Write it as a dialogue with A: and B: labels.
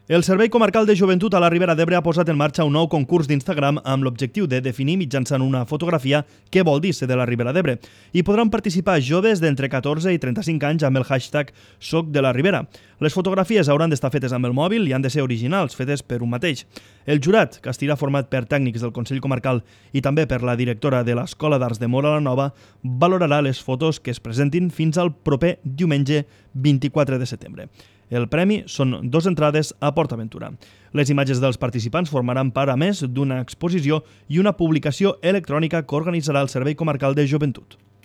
A: El Servei Comarcal de Joventut a la Ribera d'Ebre ha posat en marxa un nou concurs d'Instagram amb l'objectiu de definir mitjançant una fotografia què vol dir ser de la Ribera d'Ebre. Hi podran participar joves d'entre 14 i 35 anys amb el hashtag Soc de la Ribera. Les fotografies hauran d'estar fetes amb el mòbil i han de ser originals, fetes per un mateix. El jurat, que estarà format per tècnics del Consell Comarcal i també per la directora de l'Escola d'Arts de Móra la Nova, valorarà les fotos que es presentin fins al proper diumenge 24 de setembre. El premi són 2 entrades a PortAventura. Les imatges dels participants formaran part, a més, d'una exposició i una publicació electrònica que organitzarà el Servei Comarcal de Joventut.